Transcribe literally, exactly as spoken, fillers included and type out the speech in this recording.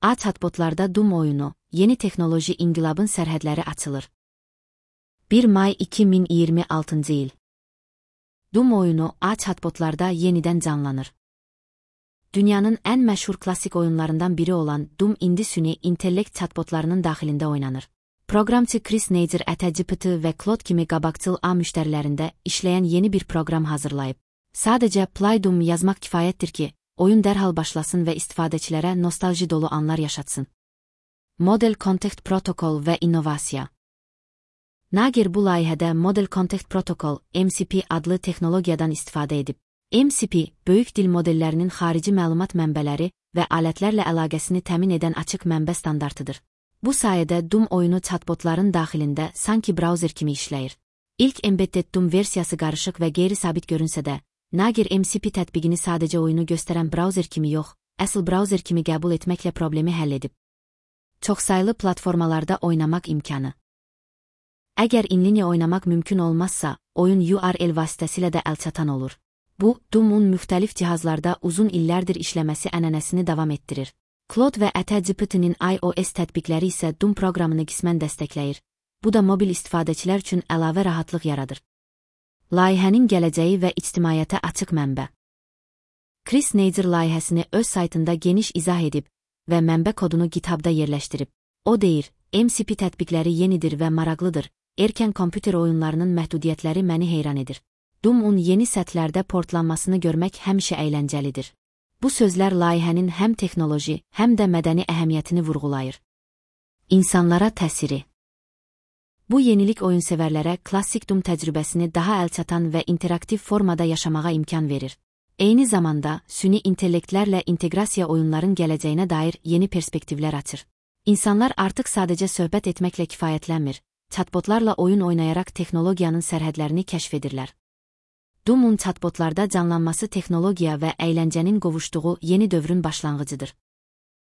A chatbotlarda Doom oyunu, yeni teknoloji inqilabın sərhədləri açılır. bir may iki min iyirmi altıncı il. Doom oyunu A chatbotlarda yenidən canlanır. Dünyanın ən məşhur klassik oyunlarından biri olan Doom indi süni intellekt chatbotlarının daxilində oynanır. Proqramçı Chris Nader ChatGPT və Claude kimi qabaqcıl A müştərilərində işləyən yeni bir proqram hazırlayıb. Sadəcə Play Doom yazmaq kifayətdir ki, oyun dərhal başlasın və istifadəçilərə nostalji dolu anlar yaşatsın. Model Context Protocol və innovasiya. Nager bu layihədə Model Context Protocol M C P adlı texnologiyadan istifadə edib. M C P, böyük dil modellərinin xarici məlumat mənbələri və alətlərlə əlaqəsini təmin edən açıq mənbə standartıdır. Bu sayədə Doom oyunu chatbotların daxilində sanki browser kimi işləyir. İlk embedded Doom versiyası qarışıq və qeyri-sabit görünsə də, Nager M C P tətbiqini sadəcə oyunu göstərən browser kimi yox, əsl browser kimi qəbul etməklə problemi həll edib. Çoxsaylı platformalarda oynamaq imkanı. Əgər inlinia oynamaq mümkün olmazsa, oyun U R L vasitəsilə də əlçatan olur. Bu, Doom'un müxtəlif cihazlarda uzun illərdir işləməsi ənənəsini davam etdirir. Claude və ChatGPT'nin iOS tətbiqləri isə Doom proqramını qismən dəstəkləyir. Bu da mobil istifadəçilər üçün əlavə rahatlıq yaradır. Layihənin gələcəyi və ictimaiyyətə açıq mənbə. Chris Nader layihəsini öz saytında geniş izah edib və mənbə kodunu GitHub'da yerləşdirib. O deyir, M C P tətbiqləri yenidir və maraqlıdır, erkən kompüter oyunlarının məhdudiyyətləri məni heyran edir. Doom'un yeni səthlərdə portlanmasını görmək həmişə əyləncəlidir. Bu sözlər layihənin həm texnoloji, həm də mədəni əhəmiyyətini vurğulayır. İnsanlara təsiri. Bu yenilik oyunsevərlərə klassik Doom təcrübəsini daha əlçatan və interaktiv formada yaşamağa imkan verir. Eyni zamanda, süni intellektlərlə inteqrasiya oyunların gələcəyinə dair yeni perspektivlər açır. İnsanlar artıq sadəcə söhbət etməklə kifayətlənmir, chatbotlarla oyun oynayaraq texnologiyanın sərhədlərini kəşf edirlər. Doom'un chatbotlarda canlanması texnologiya və əyləncənin qovuşduğu yeni dövrün başlanğıcıdır.